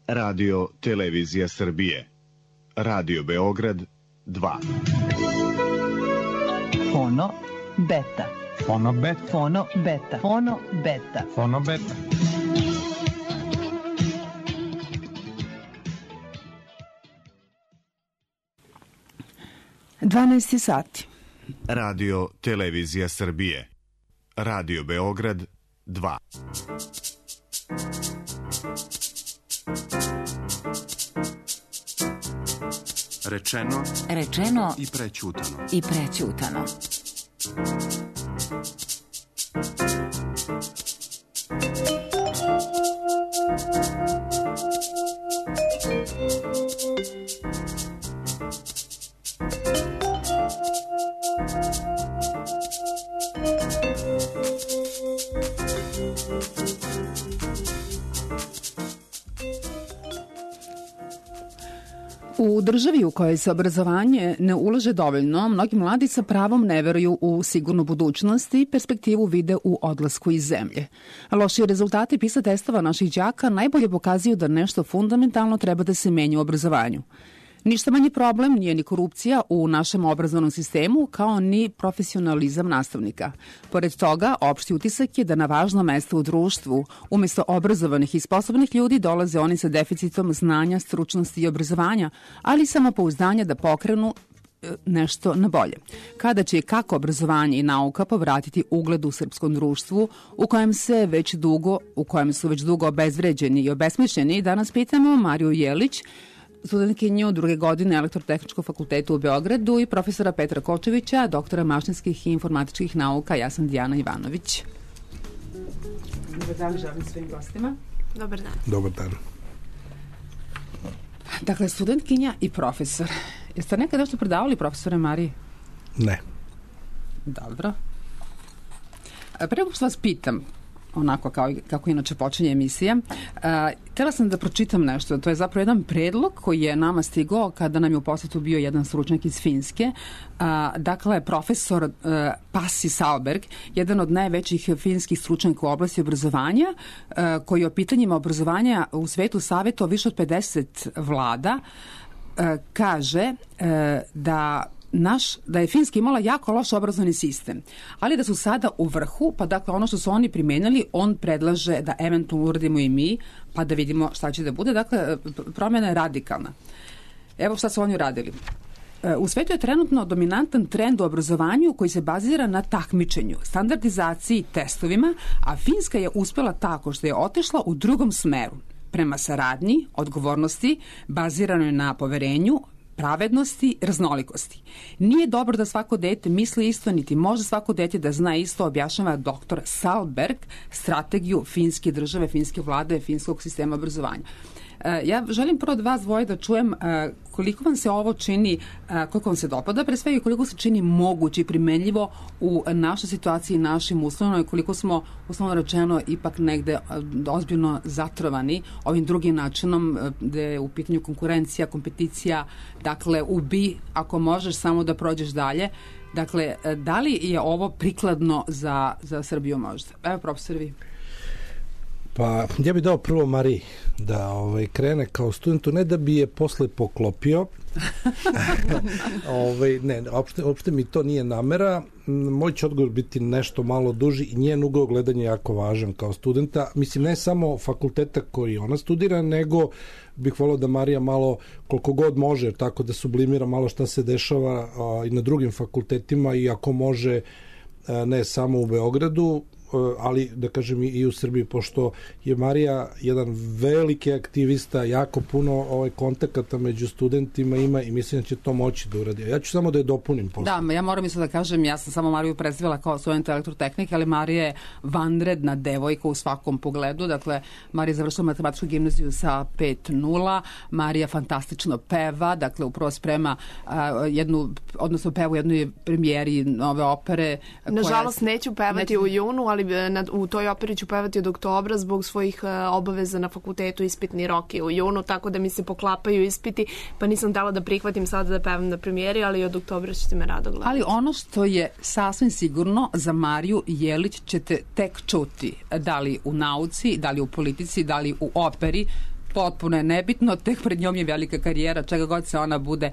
Radio Televizija Srbije. Radio Beograd 2. Fono beta. Fono beta. Fono beta. Fono beta. Fono beta. Dvanaesti sati. Radio Televizija Srbije. Radio Beograd 2. Rečeno i prećutano. I prećutano. U državi u kojoj se obrazovanje ne ulaže dovoljno, mnogi mladi sa pravom ne veruju u sigurnu budućnost i perspektivu vide u odlasku iz zemlje. Loši rezultati PISA testova naših đaka najbolje pokazuju da nešto fundamentalno treba da se menja u obrazovanju. Ništa manji problem nije ni korupcija u našem obrazovnom sistemu, kao ni profesionalizam nastavnika. Pored toga, opšti utisak je da na važno mesto u društvu, umesto obrazovanih i sposobnih ljudi, dolaze oni sa deficitom znanja, stručnosti i obrazovanja, ali i samopouzdanja da pokrenu nešto na bolje. Kada će i kako obrazovanje i nauka povratiti ugled u srpskom društvu u kojem su već dugo obezvređeni i obesmišljeni, danas pitamo Mariju Jelić, studentkinju druge godine Elektrotehničkog fakulteta u Beogradu, i profesora Petra Kočevića, doktora mašinskih i informatičkih nauka. Ja sam Dijana Ivanović. Dobar dan, želim svojim gostima. Dobar dan. Dobar dan. Dakle, studentkinja i profesor. Jeste nekad nešto predavali, profesore Mariji? Ne. Dobro. Pre nego što vas pitam, onako kako inače počinje emisija, htjela sam da pročitam nešto. To je zapravo jedan predlog koji je nama stigao kada nam je u posjetu bio jedan stručnjak iz Finske. Dakle, profesor Pasi Sahlberg, jedan od najvećih finskih stručnjaka u oblasti obrazovanja, koji o pitanjima obrazovanja u svetu savjetovao više od 50 vlada, kaže da je Finska imala jako loš obrazovni sistem, ali da su sada u vrhu, pa dakle ono što su oni primenili, on predlaže da eventualno uradimo i mi, pa da vidimo šta će da bude. Dakle, promjena je radikalna. Evo šta su oni uradili. U svetu je trenutno dominantan trend u obrazovanju koji se bazira na takmičenju, standardizaciji, testovima, a Finska je uspela tako što je otišla u drugom smeru, prema saradnji, odgovornosti, baziranoj na poverenju, pravednosti, raznolikosti. Nije dobro da svako dete misli isto, niti može svako dete da zna isto, objašnjava doktor Sahlberg strategiju finske države, finske vlade, finskog sistema obrazovanja. Ja želim prvo od vas dvoje da čujem koliko vam se ovo čini, koliko vam se dopada, pre svega koliko se čini moguće i primenljivo u našoj situaciji, našim uslovima, i koliko smo, uslovno rečeno, ipak negde ozbiljno zatrovani ovim drugim načinom gde je u pitanju konkurencija, kompeticija, dakle ubi ako možeš samo da prođeš dalje. Dakle, da li je ovo prikladno za Srbiju možda? Evo, profesor, vi. Pa, ja bih dao prvo Mariji da krene kao studentu, ne da bi je posle poklopio. Ne, uopšte mi to nije namera. Moj će odgovor biti nešto malo duži i njen ugao gledanja je jako važan kao studenta. Mislim, ne samo fakulteta koji ona studira, nego bih volio da Marija malo, koliko god može, tako da sublimira malo šta se dešava i na drugim fakultetima, i ako može ne samo u Beogradu, ali da kažem i u Srbiji, pošto je Marija jedan veliki aktivista, jako puno kontakata među studentima ima i mislim da će to moći da uradi. Ja ću samo da je dopunim posle. Da, ja moram isto da kažem, ja sam samo Mariju predstavila kao studenta elektrotehnike, ali Marija je vanredna devojka u svakom pogledu. Dakle, Marija je završila matematičku gimnaziju sa 5.0, Marija fantastično peva, dakle upravo sprema peva u jednoj premijeri nove opere. Nažalost, neću pevati u junu, ali u toj operi ću pevati od oktobra zbog svojih obaveza na fakultetu. Ispitni rok je u junu, tako da mi se poklapaju ispiti, pa nisam htela da prihvatim sada da pevam na premijeri, ali od oktobra ćete me rado gledati. Ali ono što je sasvim sigurno, za Mariju Jelić ćete tek čuti, da li u nauci, da li u politici, da li u operi, potpuno je nebitno, tek pred njom je velika karijera, čega god se ona bude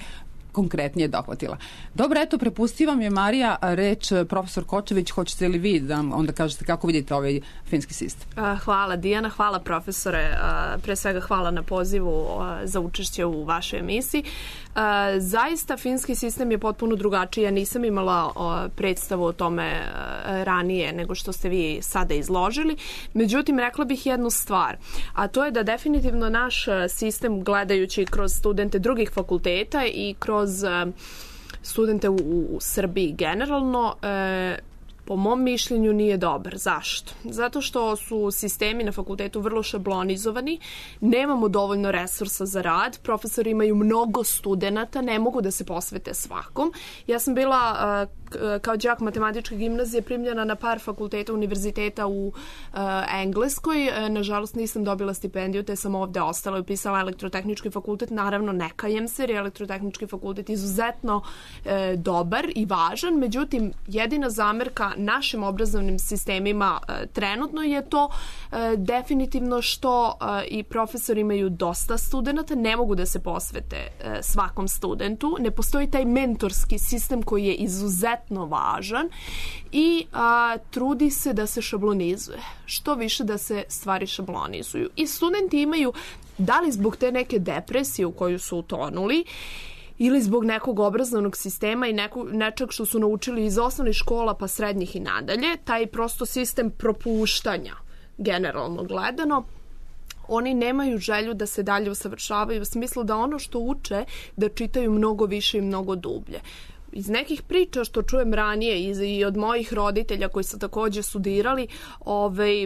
konkretnije dohvatila. Dobro, eto, prepustio vam je Marija reč profesor Kočević, hoćete li vi da onda kažete kako vidite ovaj finski sistem? Hvala Dijana, hvala profesore, pre svega hvala na pozivu za učešće u vašoj emisiji. Zaista finski sistem je potpuno drugačiji, ja nisam imala predstavu o tome ranije nego što ste vi sada izložili, međutim rekla bih jednu stvar, a to je da definitivno naš sistem, gledajući kroz studente drugih fakulteta i kroz studente u Srbiji generalno, po mom mišljenju nije dobar. Zašto? Zato što su sistemi na fakultetu vrlo šablonizovani, nemamo dovoljno resursa za rad, profesori imaju mnogo studenata, ne mogu da se posvete svakom. Ja sam bila kao đak matematičke gimnazije primljena na par fakulteta univerziteta u Engleskoj. Nažalost nisam dobila stipendiju, te sam ovde ostala i upisala elektrotehnički fakultet. Naravno ne kajem se, jer je elektrotehnički fakultet izuzetno dobar i važan, međutim jedina zamerka našim obrazovnim sistemima trenutno je to definitivno što i profesori imaju dosta studenata, ne mogu da se posvete svakom studentu, ne postoji taj mentorski sistem koji je izuzetno važan i trudi se da se šablonizuje. Što više da se stvari šablonizuju. I studenti imaju, da li zbog te neke depresije u koju su utonuli, ili zbog nekog obrazovnog sistema i nečeg što su naučili iz osnovnih škola pa srednjih i nadalje, taj prosto sistem propuštanja, generalno gledano, oni nemaju želju da se dalje usavršavaju u smislu da ono što uče, da čitaju mnogo više i mnogo dublje. Iz nekih priča što čujem ranije i od mojih roditelja koji su takođe studirali,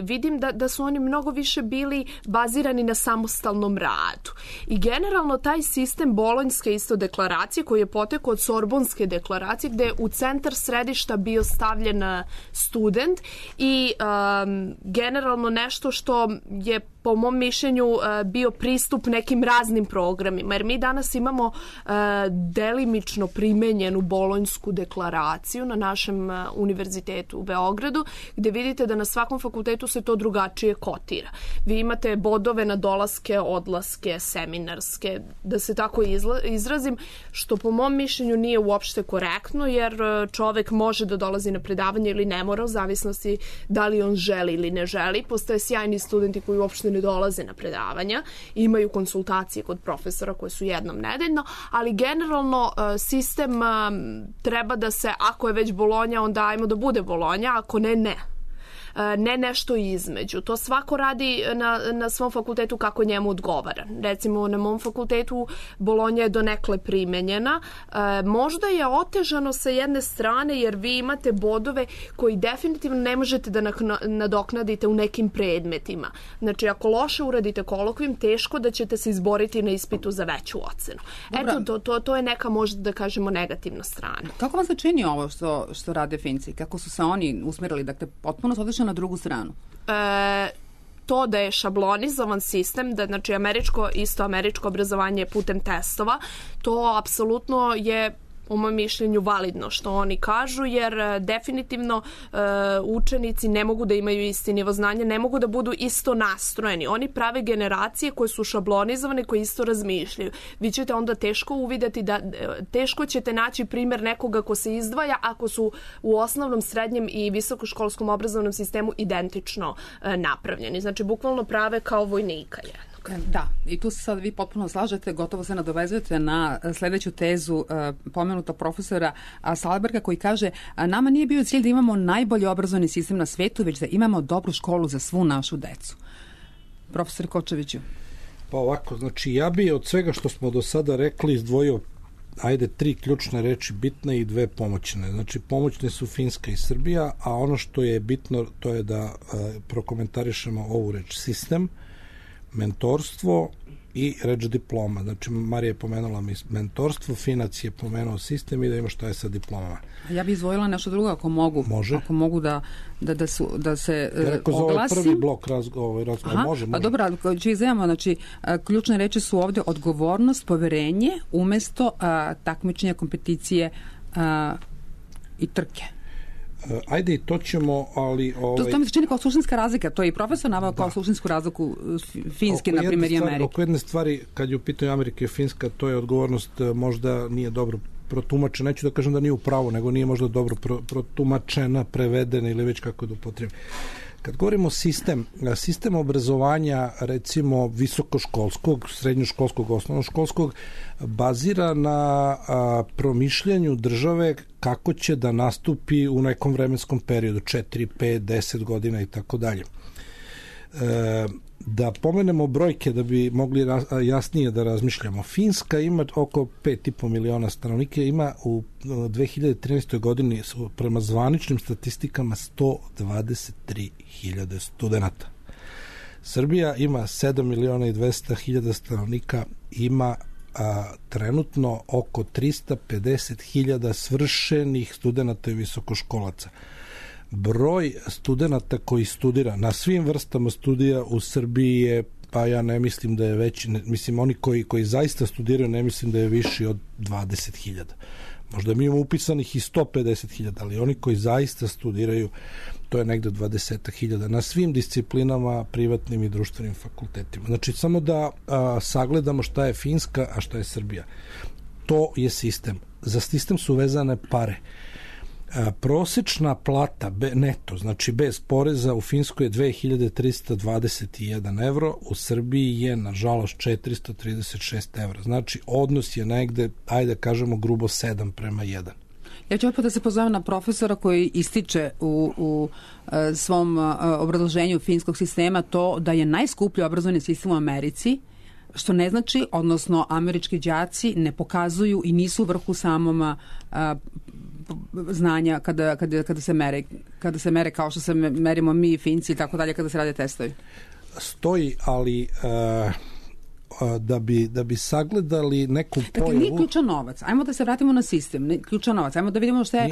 vidim da su oni mnogo više bili bazirani na samostalnom radu. I generalno taj sistem bolonjske isto deklaracije koji je potekao od Sorbonske deklaracije gde je u centar središta bio stavljen student i generalno nešto što je po mom mišljenju bio pristup nekim raznim programima, jer mi danas imamo delimično primenjenu bolonjsku deklaraciju na našem univerzitetu u Beogradu, gde vidite da na svakom fakultetu se to drugačije kotira. Vi imate bodove na dolaske, odlaske, seminarske, da se tako izrazim, što po mom mišljenju nije uopšte korektno, jer čovek može da dolazi na predavanje ili ne mora, u zavisnosti da li on želi ili ne želi. Postoje sjajni studenti koji uopšte ne dolaze na predavanja, imaju konsultacije kod profesora koje su jednom nedeljno, ali generalno sistem treba da se, ako je već Bolonja, onda ajmo da bude Bolonja, ako ne, ne. Ne nešto između. To svako radi na svom fakultetu kako njemu odgovara. Recimo, na mom fakultetu Bolonja je donekle primenjena. Možda je otežano sa jedne strane jer vi imate bodove koji definitivno ne možete da nadoknadite u nekim predmetima. Znači, ako loše uradite kolokvijum, teško da ćete se izboriti na ispitu za veću ocenu. Dobra. Eto, to je neka, možda da kažemo, negativna strana. Kako vam se čini ovo što rade Finci? Kako su se oni usmerili? Dakle, potpuno su odlično na drugu stranu. To da je šablonizovan sistem, da znači američko obrazovanje putem testova, to apsolutno je u mom mišljenju validno što oni kažu, jer definitivno učenici ne mogu da imaju isti nivo znanja, ne mogu da budu isto nastrojeni. Oni prave generacije koje su šablonizovane, koje isto razmišljaju. Vi ćete onda teško uvideti teško ćete naći primjer nekoga ko se izdvaja ako su u osnovnom, srednjem i visokoškolskom obrazovnom sistemu identično napravljeni. Znači, bukvalno prave kao vojnika jedno. Da, i tu se sad vi potpuno slažete, gotovo se nadovezujete na sledeću tezu pomenuta profesora Salberga koji kaže nama nije bio cilj da imamo najbolji obrazovni sistem na svetu, već da imamo dobru školu za svu našu decu. Profesor Kočeviću. Pa ovako, znači ja bi od svega što smo do sada rekli izdvojio 3 ključne reči bitne i 2 pomoćne. Znači, pomoćne su Finska i Srbija, a ono što je bitno to je da prokomentarišemo ovu reč sistem, mentorstvo i reč diploma. Znači, Marija je pomenula mentorstvo, Finac je pomenuo sistem i da ima šta je sa diplomama. Ja bih izdvojila nešto drugo ako mogu. Može. Ako mogu da se rekao za ovaj prvi blok razgovora. Može. Pa dobro, ću izvajamo, znači, ključne reči su ovde odgovornost, poverenje, umesto takmičenja, kompeticije i trke. Ajde i to ćemo, ali... To mi se čini kao suštinska razlika, to je i profesor navao kao suštinsku razliku Finske, na primjer, i Amerike. Oko jedne stvari, kad je u pitanju Amerike i Finska, to je odgovornost možda nije dobro protumačena, neću da kažem da nije u pravu, nego nije možda dobro protumačena, prevedena ili već kako da upotrebim. Kad govorimo sistem obrazovanja, recimo visokoškolskog, srednjoškolskog, osnovnoškolskog, bazira na promišljanju države kako će da nastupi u nekom vremenskom periodu, 4, 5, 10 godina i tako dalje. Da pomenemo brojke da bi mogli jasnije da razmišljamo. Finska ima oko 5,5 miliona stanovnika, ima u 2013. godini prema zvaničnim statistikama 123.000 studenta. Srbija ima 7 miliona i 200.000 stanovnika, ima trenutno oko 350.000 svršenih studenta i visokoškolaca. Broj studenta koji studira na svim vrstama studija u Srbiji je, pa ja ne mislim da je veći, mislim oni koji zaista studiraju ne mislim da je viši od 20.000. Možda mi imamo upisanih i 150.000, ali oni koji zaista studiraju, to je negde 20.000 na svim disciplinama, privatnim i društvenim fakultetima. Znači, samo da sagledamo šta je Finska, a šta je Srbija. To je sistem. Za sistem su vezane pare. Prosečna plata neto, znači bez poreza, u Finskoj je 2321 evro, u Srbiji je nažalost 436 evra. Znači odnos je negde, ajde kažemo grubo 7:1. Ja ću opet da se pozovem na profesora koji ističe u svom obrazloženju finskog sistema to da je najskuplji obrazovni sistem u Americi, što ne znači, odnosno američki đaci ne pokazuju i nisu u vrhu samom znanja kada se mere kao što se merimo mi i Finci i tako dalje kada se rade testovi. Stoji, ali da bi sagledali neku pojavu... Dakle, nije ključan novac. Ajmo da se vratimo na sistem. Ključan novac. Ajmo da vidimo šta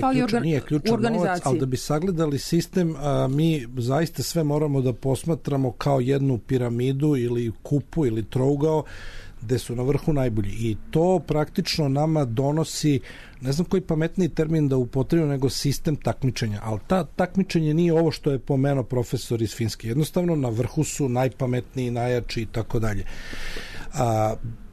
fali u organizaciji. Novac, ali da bi sagledali sistem, mi zaista sve moramo da posmatramo kao jednu piramidu ili kupu ili trougao gde su na vrhu najbolji. I to praktično nama donosi, ne znam koji pametniji termin da upotrebimo, nego sistem takmičenja. Ali ta takmičenje nije ovo što je pomenuo profesor iz Finske. Jednostavno na vrhu su najpametniji, najjači i tako dalje.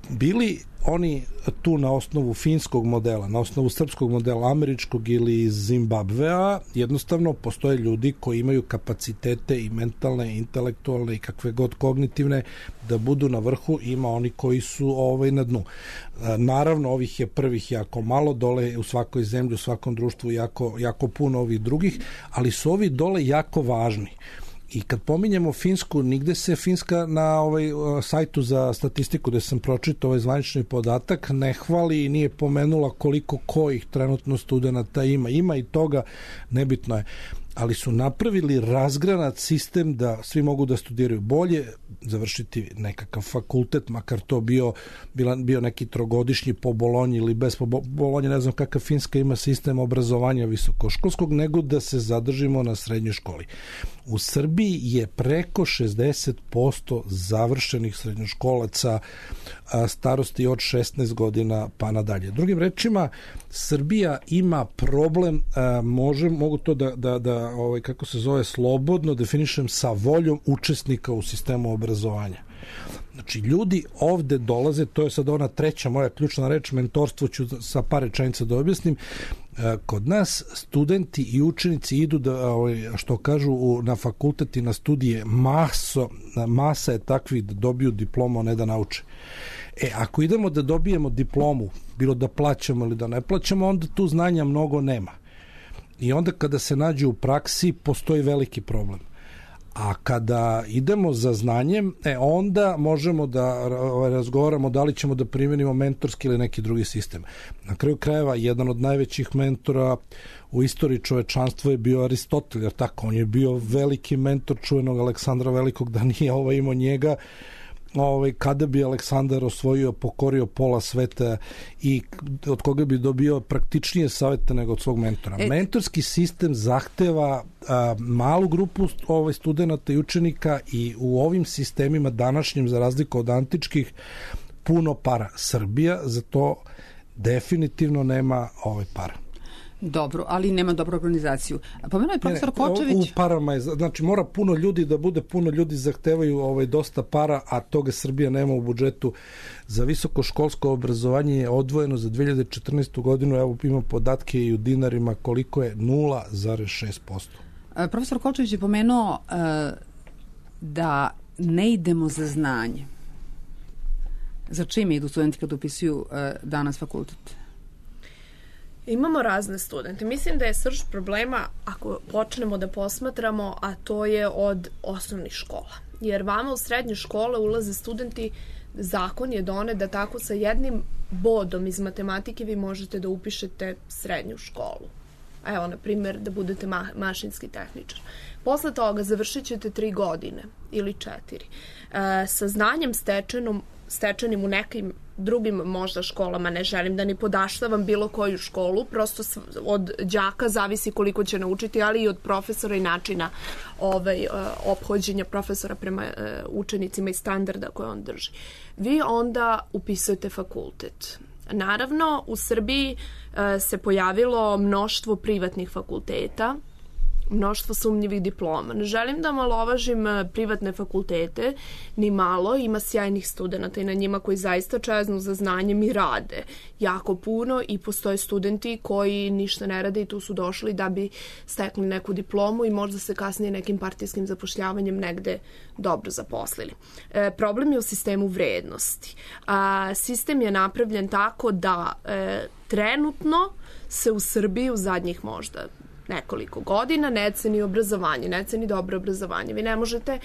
Bili oni tu na osnovu finskog modela, na osnovu srpskog modela, američkog ili iz Zimbabvea, jednostavno postoje ljudi koji imaju kapacitete i mentalne, i intelektualne i kakve god kognitivne da budu na vrhu, ima oni koji su na dnu. Naravno, ovih je prvih jako malo, dole u svakoj zemlji, u svakom društvu jako puno ovih drugih, ali su ovi dole jako važni. I kad pominjemo Finsku, nigde se Finska na sajtu za statistiku gde sam pročitao ovaj zvanični podatak ne hvali i nije pomenula koliko kojih trenutno studenta ima. Ima i toga, nebitno je. Ali su napravili razgranat sistem da svi mogu da studiraju bolje, završiti nekakav fakultet, makar to bio neki trogodišnji po Bolonji ili bez po Bolonji, ne znam kakav Finska ima sistem obrazovanja visokoškolskog, nego da se zadržimo na srednjoj školi. U Srbiji je preko 60% završenih srednjoškolaca starosti od 16 godina pa nadalje. Drugim rečima, Srbija ima problem, mogu to da kako se zove, slobodno definišem, sa voljom učesnika u sistemu obrazovanja. Znači, ljudi ovde dolaze, to je sad ona treća moja ključna reč, mentorstvo ću sa par rečenica da objasnim. Kod nas studenti i učenici idu što kažu na fakultet i na studije, masa je takvih da dobiju diplomu, a ne da nauče. Ako idemo da dobijemo diplomu, bilo da plaćamo ili da ne plaćamo, onda tu znanja mnogo nema. I onda kada se nađe u praksi, postoji veliki problem. A kada idemo za znanjem, onda možemo da razgovaramo da li ćemo da primenimo mentorski ili neki drugi sistem. Na kraju krajeva, jedan od najvećih mentora u istoriji čovečanstva je bio Aristotel, jer tako, on je bio veliki mentor čuvenog Aleksandra Velikog, da nije imao njega, kada bi Aleksandar pokorio pola sveta i od koga bi dobio praktičnije savete nego od svog mentora. Mentorski sistem zahteva malu grupu studenta i učenika i u ovim sistemima današnjim, za razliku od antičkih, puno para. Srbija za to definitivno nema para. Dobro, ali nema dobru organizaciju. Pomenuo je profesor Kočević... U parama je, znači mora puno ljudi da bude, puno ljudi zahtevaju dosta para, a toga Srbija nema u budžetu. Za visokoškolsko obrazovanje je odvojeno za 2014. godinu, evo imam podatke i u dinarima, koliko je 0,6%. Profesor Kočević je pomenuo da ne idemo za znanje. Za čime idu studenti kad upisuju danas fakultet? Imamo razne studente. Mislim da je srž problema, ako počnemo da posmatramo, a to je od osnovnih škola. Jer vama u srednje škole ulaze studenti, zakon je donet da tako sa jednim bodom iz matematike vi možete da upišete srednju školu. Evo, na primjer, da budete mašinski tehničar. Posle toga završit ćete 3 godine ili 4. Sa znanjem stečenim u nekim drugim možda školama, ne želim da ni podaštavam bilo koju školu, prosto od đaka zavisi koliko će naučiti, ali i od profesora i načina ophođenja profesora prema učenicima i standarda koje on drži. Vi onda upisujete fakultet. Naravno, u Srbiji se pojavilo mnoštvo privatnih fakulteta, mnoštvo sumnjivih diploma. Ne želim da malovažim privatne fakultete, ni malo, ima sjajnih studenta i na njima koji zaista čeznu za znanjem i rade jako puno i postoje studenti koji ništa ne rade i tu su došli da bi stekli neku diplomu i možda se kasnije nekim partijskim zapošljavanjem negde dobro zaposlili. Problem je u sistemu vrednosti. Sistem je napravljen tako da trenutno se u Srbiji u zadnjih možda nekoliko godina ne ceni obrazovanje, ne ceni dobro obrazovanje. Vi ne možete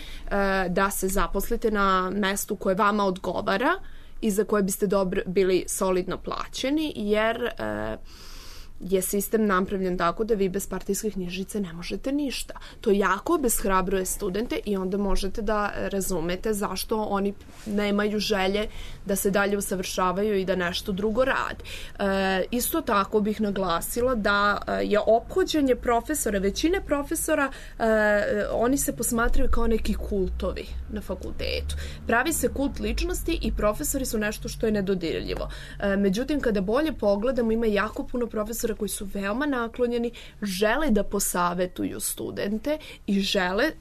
da se zaposlite na mestu koje vama odgovara i za koje biste bili solidno plaćeni, jer je sistem napravljen tako da vi bez partijskih knjižice ne možete ništa. To jako obeshrabruje studente i onda možete da razumete zašto oni nemaju želje da se dalje usavršavaju i da nešto drugo rade. Isto tako bih naglasila da je ophođenje profesora, većine profesora, oni se posmatraju kao neki kultovi na fakultetu. Pravi se kult ličnosti i profesori su nešto što je nedodirljivo. Međutim, kada bolje pogledamo, ima jako puno profesora koji su veoma naklonjeni, žele da posavetuju studente i žele,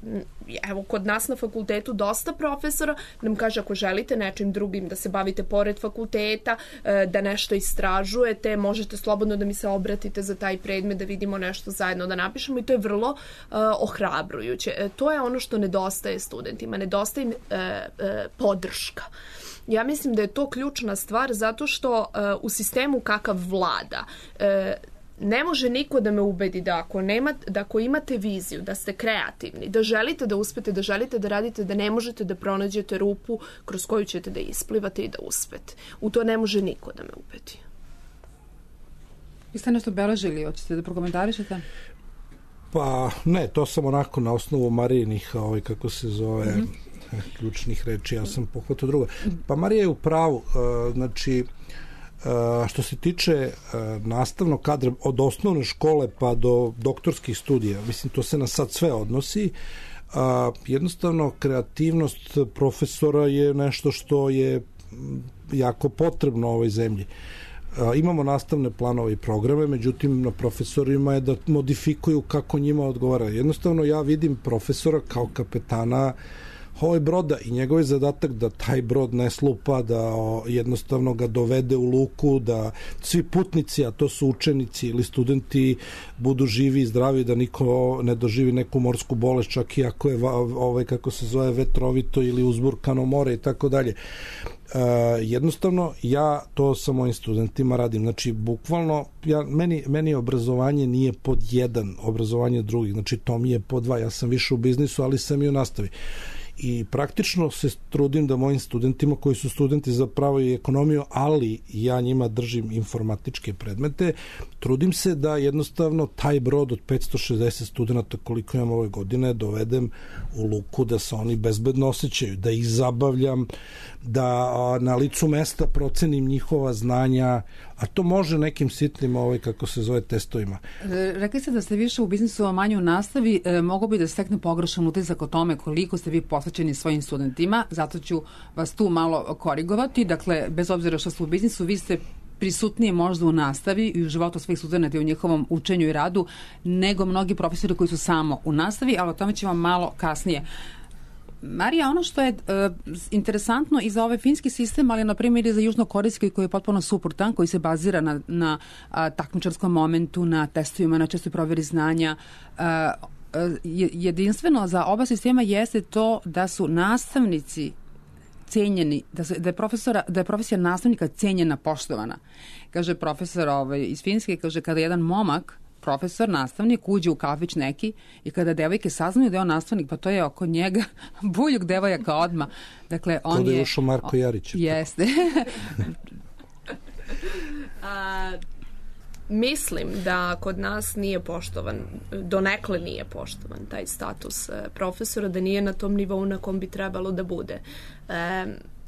evo kod nas na fakultetu dosta profesora nam kaže ako želite nečim drugim da se bavite pored fakulteta, da nešto istražujete, možete slobodno da mi se obratite za taj predmet, da vidimo nešto zajedno da napišemo i to je vrlo ohrabrujuće. To je ono što nedostaje studentima, nedostaje podrška. Ja mislim da je to ključna stvar zato što u sistemu kakav vlada ne može niko da me ubedi da ako imate viziju, da ste kreativni, da želite da uspete, da želite da radite, da ne možete da pronađete rupu kroz koju ćete da isplivate i da uspete. U to ne može niko da me ubedi. Vi ste nešto beležili, hoćete da prokomentarišete? Pa ne, to sam onako na osnovu Marijinih, kako se zove, ključnih reči, ja sam pohvatao drugo. Pa Marija je u pravu, znači, što se tiče nastavnog kadra od osnovne škole pa do doktorskih studija, mislim, to se na sad sve odnosi, jednostavno kreativnost profesora je nešto što je jako potrebno u ovoj zemlji. Imamo nastavne planove i programe, međutim na profesorima je da modifikuju kako njima odgovara. Jednostavno ja vidim profesora kao kapetana broda i njegov je zadatak da taj brod ne slupa, da jednostavno ga dovede u luku, da svi putnici, a to su učenici ili studenti, budu živi i zdravi, da niko ne doživi neku morsku bolest, čak i ako je kako se zove vetrovito ili uzburkano more i tako dalje. Jednostavno ja to sa mojim studentima radim, znači bukvalno meni obrazovanje nije pod 1, obrazovanje drugih, znači to mi je pod 2, ja sam više u biznisu, ali sam i u nastavi. I praktično se trudim da mojim studentima koji su studenti za pravo i ekonomiju, ali ja njima držim informatičke predmete, trudim se da jednostavno taj brod od 560 studenta koliko imam ove godine dovedem u luku, da se oni bezbedno osjećaju, da ih zabavljam, da na licu mesta procenim njihova znanja, a to može nekim sitnim kako se zove testovima. Rekli ste da ste više u biznisu, a manje u nastavi. Mogu bi da stekne pogrešan utisak o tome koliko ste vi posvećeni svojim studentima, zato ću vas tu malo korigovati. Dakle, bez obzira što ste u biznisu, vi ste prisutnije možda u nastavi i u životu svih studenta i u njihovom učenju i radu nego mnogi profesori koji su samo u nastavi, ali o tome ćemo malo kasnije. Marija, ono što je interesantno i za ovaj finski sistem, ali na primjer i za južnokorejski koji je potpuno suprotan, koji se bazira na takmičarskom momentu, na testovima, na čestoj provjeri znanja, jedinstveno za oba sistema jeste to da su nastavnici cenjeni, da je profesija nastavnika cenjena, poštovana. Kaže profesor iz Finske, kaže kada jedan momak, profesor, nastavnik, uđe u kafić neki i kada devojke saznaju da je on nastavnik, pa to je oko njega buljug devojaka odmah. Dakle, on kada je ušao Marko Jarić. Jeste. Mislim da kod nas nije poštovan, donekle nije poštovan taj status profesora, da nije na tom nivou na kom bi trebalo da bude.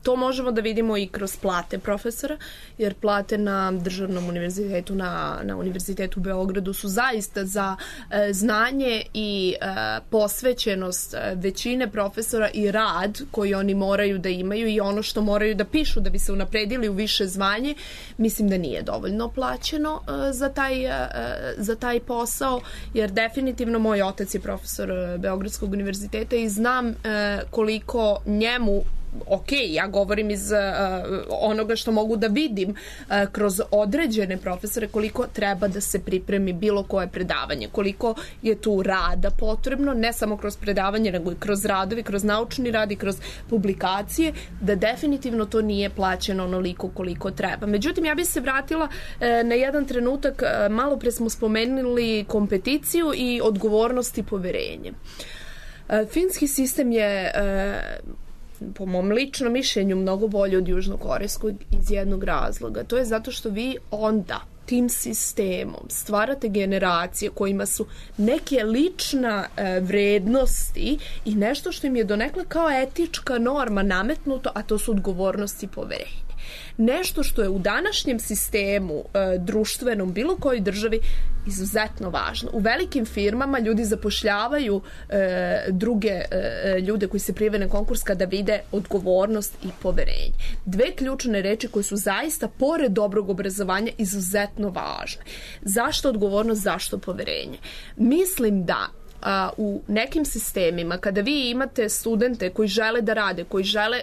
To možemo da vidimo i kroz plate profesora, jer plate na državnom univerzitetu, na Univerzitetu u Beogradu su zaista za znanje i posvećenost većine profesora i rad koji oni moraju da imaju i ono što moraju da pišu da bi se unapredili u više zvanje, mislim da nije dovoljno plaćeno za taj posao, jer definitivno moj otac je profesor Beogradskog univerziteta i znam koliko njemu, ja govorim iz onoga što mogu da vidim kroz određene profesore, koliko treba da se pripremi bilo koje predavanje, koliko je tu rada potrebno, ne samo kroz predavanje, nego i kroz radovi, kroz naučni rad i kroz publikacije, da definitivno to nije plaćeno onoliko koliko treba. Međutim, ja bih se vratila na jedan trenutak, malo pre smo spomenuli kompeticiju i odgovornost i poverenje. Finski sistem je po mom ličnom mišljenju mnogo bolje od južnokorejskog iz jednog razloga. To je zato što vi onda tim sistemom stvarate generacije kojima su neke lična vrednosti i nešto što im je donekle kao etička norma nametnuto, a to su odgovornost i poverenje. Nešto što je u današnjem sistemu društvenom, bilo kojoj državi, izuzetno važno. U velikim firmama ljudi zapošljavaju druge ljude koji se prijave na konkurs kada vide odgovornost i poverenje. Dve ključne reči koje su zaista, pored dobrog obrazovanja, izuzetno važne. Zašto odgovornost, zašto poverenje? Mislim da u nekim sistemima, kada vi imate studente koji žele da rade,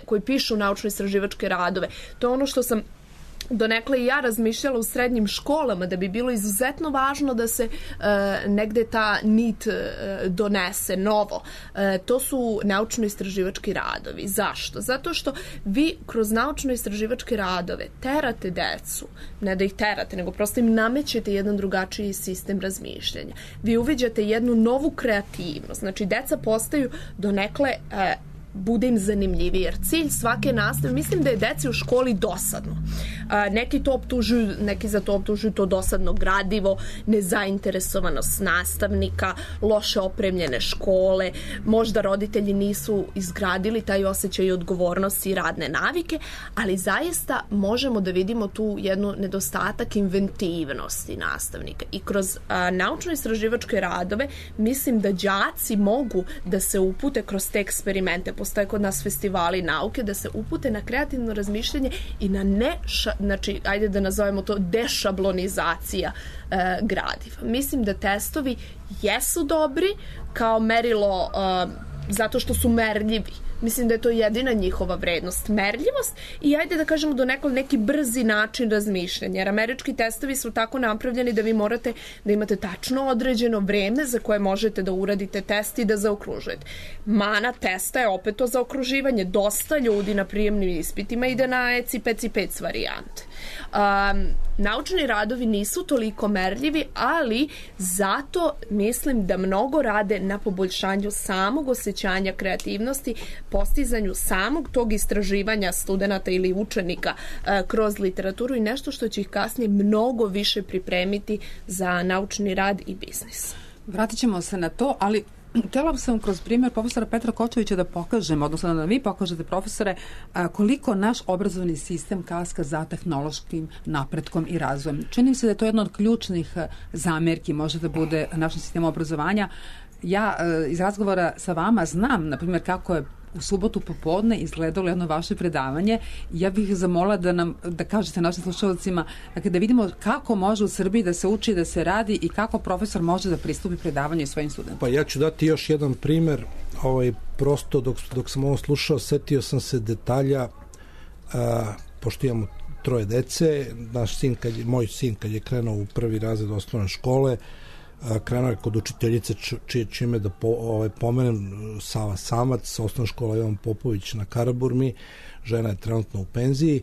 koji pišu naučno-istraživačke radove, to je ono što sam donekle i ja razmišljala u srednjim školama, da bi bilo izuzetno važno da se negde ta nit donese novo. To su naučno-istraživački radovi. Zašto? Zato što vi kroz naučno-istraživačke radove terate decu, ne da ih terate, nego prosto im namećete jedan drugačiji sistem razmišljanja. Vi uviđate jednu novu kreativnost. Znači, deca postaju donekle bude im zanimljiviji, jer cilj svake nastave, mislim da je deci u školi dosadno. Neki za to optužuju to dosadno gradivo, nezainteresovanost nastavnika, loše opremljene škole, možda roditelji nisu izgradili taj osjećaj odgovornosti i radne navike, ali zaista možemo da vidimo tu jednu nedostatak inventivnosti nastavnika. I kroz naučno-istraživačke radove mislim da đaci mogu da se upute kroz te eksperimente. Postoje kod nas festivali nauke, da se upute na kreativno razmišljanje i na znači, ajde da nazovemo to dešablonizacija gradiva. Mislim da testovi jesu dobri kao merilo zato što su merljivi. Mislim da je to jedina njihova vrednost, merljivost i ajde da kažemo do neki brzi način razmišljanja. Jer američki testovi su tako napravljeni da vi morate da imate tačno određeno vreme za koje možete da uradite test i da zaokružujete. Mana testa je opet to zaokruživanje. Dosta ljudi na prijemnim ispitima ide na ECI-PECI-PEC varijante. Naučni radovi nisu toliko merljivi, ali zato mislim da mnogo rade na poboljšanju samog osjećanja kreativnosti, postizanju samog tog istraživanja studenata ili učenika kroz literaturu i nešto što će ih kasnije mnogo više pripremiti za naučni rad i biznis. Vratit ćemo se na to, ali htjela sam kroz primjer profesora Petra Kočevića da pokažem, odnosno da vi pokažete, profesore, koliko naš obrazovni sistem kaska za tehnološkim napretkom i razvojem. Čini se da je to jedna od ključnih zamerki, može da bude našem sistemu obrazovanja. ja iz razgovora sa vama znam, na primjer, kako je u subotu popodne izgledalo jedno vaše predavanje. Ja bih zamolila da kažete našim slušalcima, dakle, da vidimo kako može u Srbiji da se uči, da se radi i kako profesor može da pristupi predavanju svojim studentima. Pa ja ću dati još jedan primer. Prosto dok sam ovo slušao, setio sam se detalja, pošto imamo 3 dece, moj sin kad je krenuo u 1. razred osnovne škole, krenuo je kod učiteljice čime da pomenem Sava Samac, osnovna škola Jovan Popović na Karaburmi, žena je trenutno u penziji.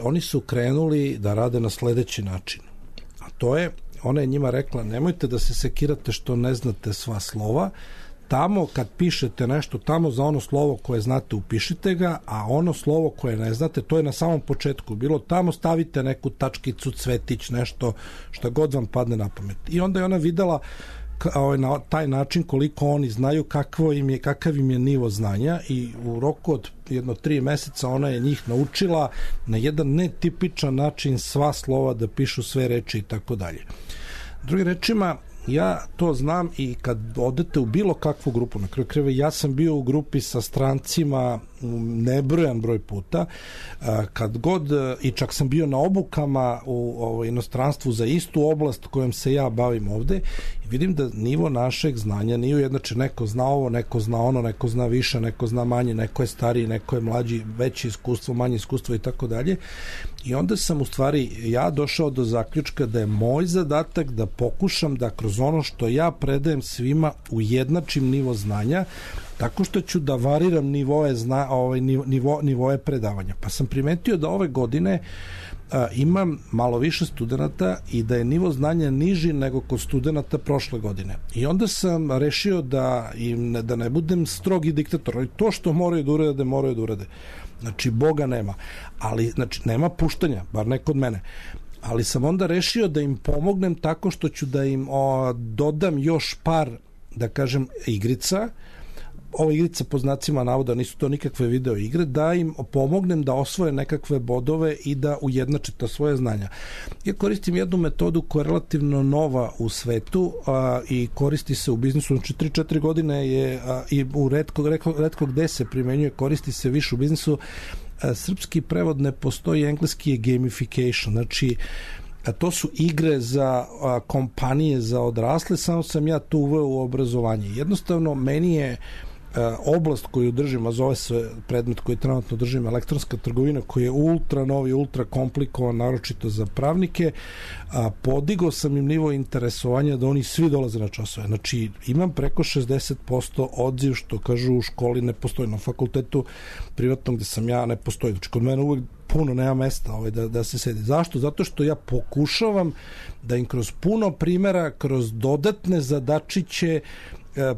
Oni su krenuli da rade na sledeći način. A to je, ona je njima rekla, nemojte da se sekirate što ne znate sva slova, tamo kad pišete nešto, tamo za ono slovo koje znate upišite ga, a ono slovo koje ne znate, to je na samom početku bilo, tamo stavite neku tačkicu, cvetić, nešto što god vam padne na pamet. I onda je ona videla na taj način koliko oni znaju, kakav im je nivo znanja, i u roku od 3 meseca ona je njih naučila na jedan netipičan način sva slova da pišu sve reči i tako dalje. Drugim rečima, ja to znam i kad odete u bilo kakvu grupu, na kraju krajeva ja sam bio u grupi sa strancima nebrojan broj puta, kad god, i čak sam bio na obukama u inostranstvu za istu oblast kojom se ja bavim ovde, i vidim da nivo našeg znanja nije ujednačen. Neko zna ovo, neko zna ono, neko zna više, neko zna manje, neko je stariji, neko je mlađi, veće iskustvo, manje iskustvo i tako dalje. I onda sam u stvari ja došao do zaključka da je moj zadatak da pokušam da kroz ono što ja predajem svima ujednačim nivo znanja, tako što ću da variram nivoe predavanja. Pa sam primetio da ove godine imam malo više studenta i da je nivo znanja niži nego kod studenta prošle godine. I onda sam rešio da ne budem strogi diktator. To što moraju da urade. Znači, Boga nema. Ali, znači, nema puštanja, bar ne kod mene. Ali sam onda rešio da im pomognem tako što ću da im dodam još par, da kažem, igrica. Ove igrice po znacima navoda nisu to nikakve video igre, da im pomognem da osvoje nekakve bodove i da ujednače to svoje znanja. Ja koristim jednu metodu koja je relativno nova u svetu i koristi se u biznisu, znači 3-4 godine je i u retko gde se primenjuje, koristi se više u biznisu. Srpski prevod ne postoji, engleski je gamification, znači to su igre za kompanije za odrasle, samo sam ja to uveo u obrazovanje. Jednostavno, meni je oblast koju držim, a zove se predmet koji trenutno držim, elektronska trgovina, koji je ultra novi, ultra komplikovan, naročito za pravnike, podigao sam im nivo interesovanja da oni svi dolaze na časove. Znači, imam preko 60% odziv, što kažu u školi ne postoji, na fakultetu privatnom gde sam ja ne postoji. Znači, kod mene uvek puno nema mesta da se sedi. Zašto? Zato što ja pokušavam da im kroz puno primjera, kroz dodatne zadačiće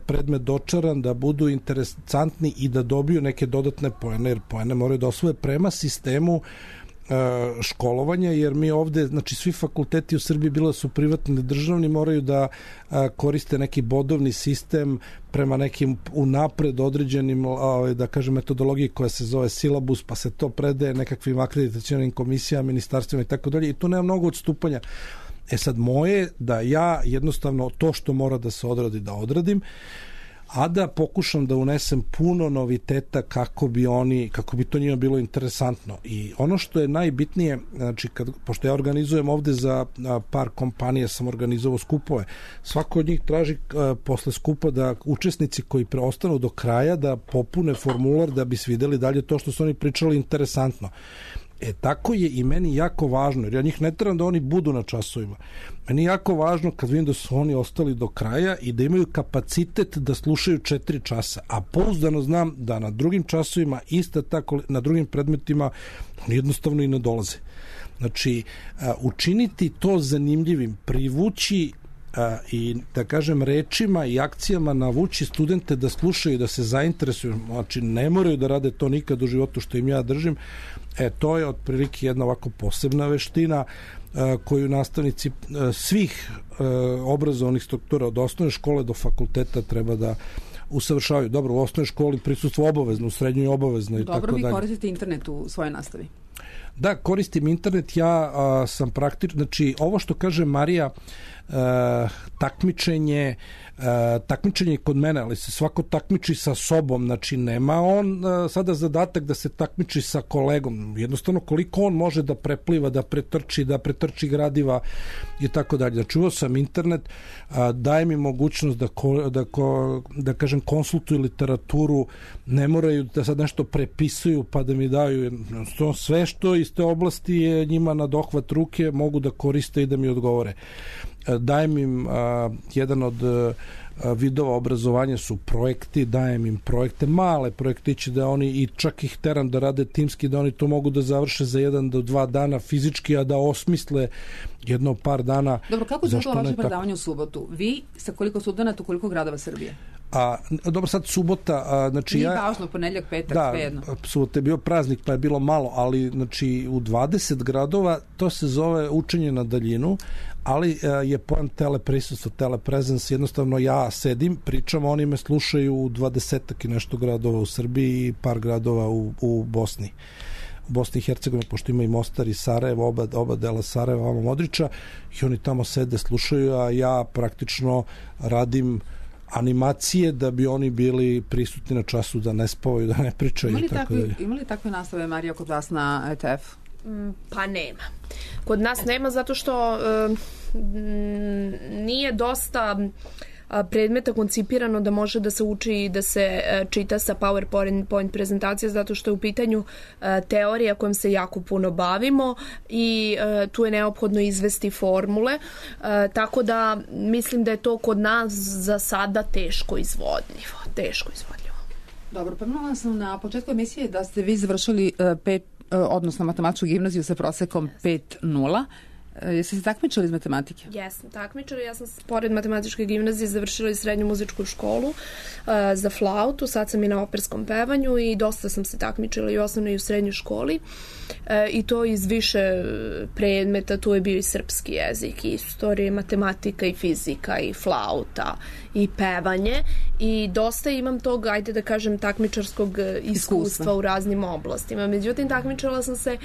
predmet dočaran, da budu interesantni i da dobiju neke dodatne poene, jer poene moraju da osvoje prema sistemu školovanja, jer mi ovde, znači svi fakulteti u Srbiji, bilo su privatni, državni, moraju da koriste neki bodovni sistem prema nekim unapred određenim, da kažem, metodologiji koja se zove silabus, pa se to predaje nekakvim akreditacionim komisijama, ministarstvima i tako dalje, i tu nema mnogo odstupanja. Sad, moje da ja jednostavno to što mora da se odradi da odradim, a da pokušam da unesem puno noviteta kako bi to njima bilo interesantno. I ono što je najbitnije, znači, pošto ja organizujem ovde za par kompanija, sam organizovao skupove, svako od njih traži posle skupa da učesnici koji preostanu do kraja da popune formular da bi svideli dalje to što su oni pričali interesantno. Tako je i meni jako važno, jer ja njih ne trebam da oni budu na časovima. Meni je jako važno kad vidim da su oni ostali do kraja i da imaju kapacitet da slušaju 4 časa, a pouzdano znam da na drugim časovima, isto tako na drugim predmetima, oni jednostavno i ne dolaze. Znači, učiniti to zanimljivim, privući i, da kažem, rečima i akcijama navući studente da slušaju, da se zainteresuju, znači ne moraju da rade to nikad u životu što im ja držim. To je otprilike jedna ovako posebna veština koju nastavnici svih obrazovnih struktura od osnovne škole do fakulteta treba da usavršavaju. Dobro, u osnovnoj školi prisustvo obavezno, u srednjoj obavezno i tako dalje. Dobro, vi koristite internet u svojoj nastavi? Da, koristim internet, ja sam praktično, znači ovo što kaže Marija, takmičenje kod mene, ali se svako takmiči sa sobom, znači nema on sada zadatak da se takmiči sa kolegom, jednostavno koliko on može da prepliva, da pretrči gradiva i tako dalje. Znači uveo sam internet, daje mi mogućnost da kažem konsultuju literaturu, ne moraju da sad nešto prepisuju pa da mi daju sve što iz te oblasti je njima na dohvat ruke, mogu da koriste i da mi odgovore. Dajem im jedan od vidova obrazovanja su projekti, dajem im projekte, male projektiće da oni, i čak ih teram da rade timski, da oni to mogu da završe za 1 do 2 dana fizički, a da osmisle jedno par dana. Dobro, kako je to vaše predavanje u subotu? Vi sa koliko studenata u koliko gradova Srbije? Dobro, sad subota, znači nije važno, ponedjeljak, petak, svejedno. Da, subota je bio praznik pa je bilo malo, ali znači u 20 gradova to se zove učenje na daljinu, ali je pojam teleprisustvo, telepresence, jednostavno ja sedim, pričam, oni me slušaju u 20 i nešto gradova u Srbiji i par gradova u Bosni. U Bosni i Hercegovini, pošto ima i Mostar i Sarajevo, oba dela Sarajeva, Vama Modrića, i oni tamo sede, slušaju, a ja praktično radim animacije da bi oni bili prisutni na času, da ne spavaju, da ne pričaju i tako dalje. Ima li takve nastave, Marija, kod vas na ETF? Pa nema. Kod nas nema zato što nije dosta predmeta koncipirano da može da se uči i da se čita sa PowerPoint prezentacije, zato što je u pitanju teorija kojom se jako puno bavimo i tu je neophodno izvesti formule, tako da mislim da je to kod nas za sada teško izvodljivo. Dobro, pomenula sam na početku emisije da ste vi završili odnosno matematičku gimnaziju sa prosekom 5.0. Jeste se takmičili iz matematike? Jesam takmičila. Ja sam pored matematičke gimnazije završila i srednju muzičku školu za flautu. Sad sam i na operskom pevanju i dosta sam se takmičila i u osnovnoj i u srednjoj školi. I to iz više predmeta. Tu je bio i srpski jezik, i istorija, i matematika, i fizika, i flauta, i pevanje. I dosta imam tog, ajde da kažem, takmičarskog iskustva u raznim oblastima. Međutim, takmičila sam se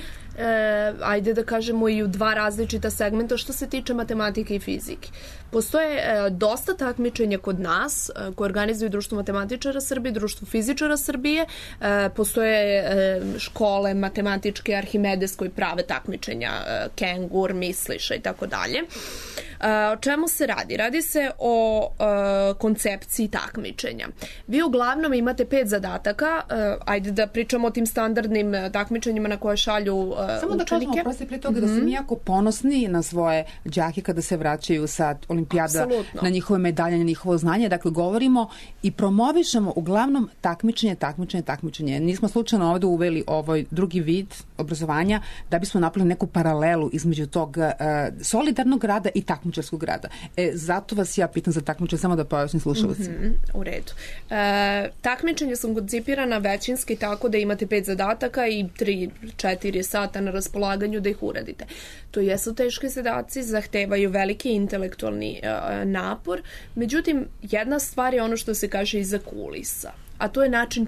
ajde da kažemo i u 2 različita segmenta što se tiče matematike i fizike. Postoje dosta takmičenja kod nas koje organizuju Društvo matematičara Srbije, Društvo fizičara Srbije, postoje škole matematičke, Arhimedes koji prave takmičenja, Kengur, Misliša i tako dalje. O čemu se radi? Radi se o koncepciji takmičenja. Vi uglavnom imate 5 zadataka, ajde da pričamo o tim standardnim takmičenjima na koje šalju učenike. Samo da kažemo, prosti prije toga da su mi jako ponosni na svoje đake kada se vraćaju sa olimpijada. Absolutno. Na njihove medalje, na njihovo znanje. Dakle, govorimo i promovišemo uglavnom takmičenje. Nismo slučajno ovdje uveli ovaj drugi vid obrazovanja da bismo napravili neku paralelu između tog solidarnog rada i takmičarskog rada. Zato vas ja pitam za takmičenje, samo da pojasnim slušalcima. U redu. Takmičenje sam koncipirana većinski tako da imate 5 zadataka i 3-4 sata na raspolaganju da ih uradite. To jesu teški zadaci, zahtevaju veliki intelektualni napor, međutim, jedna stvar je ono što se kaže iza kulisa, a to je način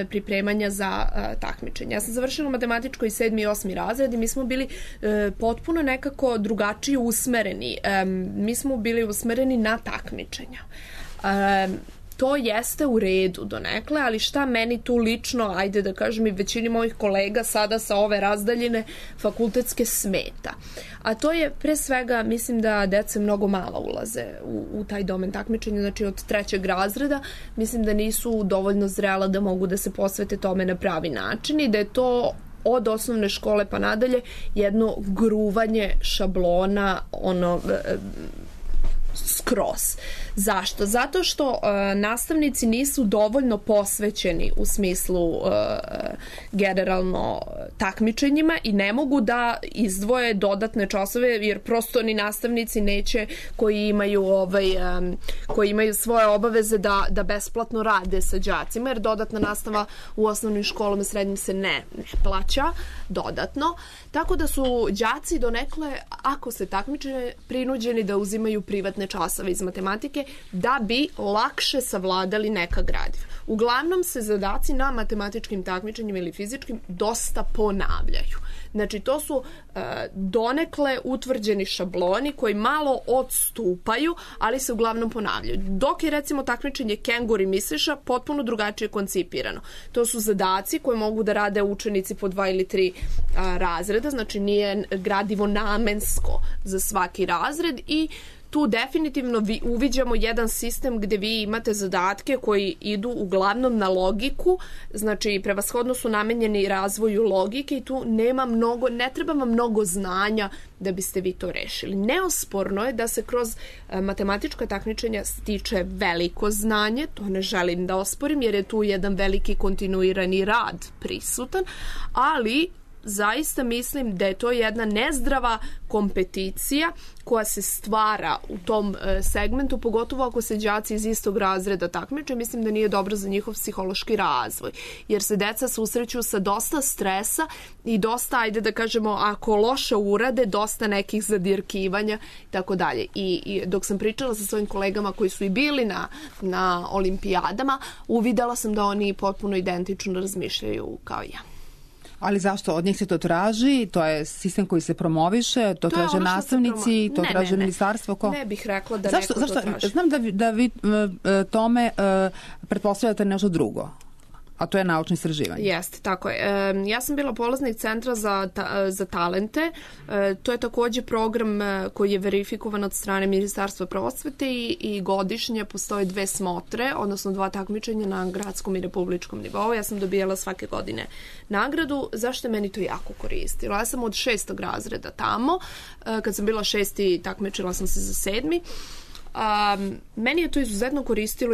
pripremanja za takmičenje. Ja sam završila matematičko i 7. i 8. razred i mi smo bili potpuno nekako drugačije usmereni. Mi smo bili usmereni na takmičenja. To jeste u redu donekle, ali šta meni tu lično, ajde da kažem i većini mojih kolega sada sa ove razdaljine fakultetske smeta. A to je pre svega, mislim da deca mnogo malo ulaze u taj domen takmičenja, znači od 3. razreda, mislim da nisu dovoljno zrela da mogu da se posvete tome na pravi način i da je to od osnovne škole pa nadalje jedno gruvanje šablona, skroz. Zašto? Zato što nastavnici nisu dovoljno posvećeni u smislu generalno takmičenjima i ne mogu da izdvoje dodatne časove jer prosto ni nastavnici neće koji imaju svoje obaveze da besplatno rade sa đacima jer dodatna nastava u osnovnim školama i srednjim se ne plaća dodatno. Tako da su đaci donekle, ako se takmiče, prinuđeni da uzimaju privatne dodatne časove iz matematike da bi lakše savladali neka gradiva. Uglavnom se zadaci na matematičkim takmičenjima ili fizičkim dosta ponavljaju. Znači, to su donekle utvrđeni šabloni koji malo odstupaju, ali se uglavnom ponavljaju. Dok je, recimo, takmičenje kenguri misliša potpuno drugačije koncipirano. To su zadaci koje mogu da rade učenici po 2 ili 3 razreda, znači nije gradivo namensko za svaki razred i tu definitivno uviđamo jedan sistem gde vi imate zadatke koji idu uglavnom na logiku, znači prevashodno su namenjeni razvoju logike i tu ne treba vam mnogo znanja da biste vi to rešili. Neosporno je da se kroz matematička takmičenja stiče veliko znanje, to ne želim da osporim jer je tu jedan veliki kontinuirani rad prisutan, ali zaista mislim da je to jedna nezdrava kompeticija koja se stvara u tom segmentu, pogotovo ako se đaci iz istog razreda takmiče. Mislim da nije dobro za njihov psihološki razvoj, jer se deca susreću sa dosta stresa i dosta, ajde da kažemo, ako loše urade, dosta nekih zadirkivanja i tako dalje. I dok sam pričala sa svojim kolegama koji su i bili na olimpijadama, uvidela sam da oni potpuno identično razmišljaju kao ja. Ali zašto? Od njih se to traži? To je sistem koji se promoviše? To traže nastavnici? To traže ministarstvo? Ko? Ne bih rekla da neko to traži. Znam da vi tome pretpostavljate nešto drugo. A to je naučno istraživanje. Jeste, tako je. Ja sam bila polaznik Centra za talente. To je takođe program koji je verifikovan od strane Ministarstva prosvete i godišnje postoje 2 smotre, odnosno 2 takmičenja na gradskom i republičkom nivou. Ja sam dobijala svake godine nagradu. Zašto je meni to jako koristilo? Ja sam od 6. razreda tamo. Kad sam bila 6. takmičila sam se za 7. Meni je to izuzetno koristilo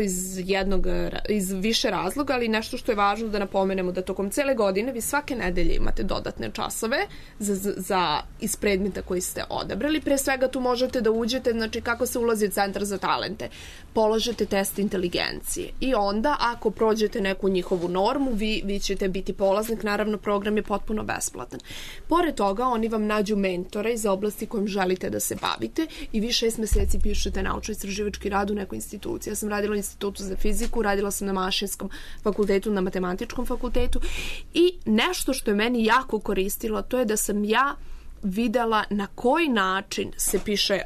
iz više razloga, ali nešto što je važno da napomenemo da tokom cele godine vi svake nedelje imate dodatne časove iz predmeta koji ste odabrali. Pre svega tu možete da uđete, znači kako se ulazi u Centar za talente. Položete test inteligencije i onda ako prođete neku njihovu normu, vi ćete biti polaznik, naravno program je potpuno besplatan. Pored toga oni vam nađu mentora iz oblasti kojom želite da se bavite i vi 6 meseci pišete naučno-istraživački rad u nekoj instituciji. Ja sam radila u Institutu za fiziku, radila sam na Mašinskom fakultetu, na Matematičkom fakultetu i nešto što je meni jako koristilo, to je da sam ja videla na koji način se piše,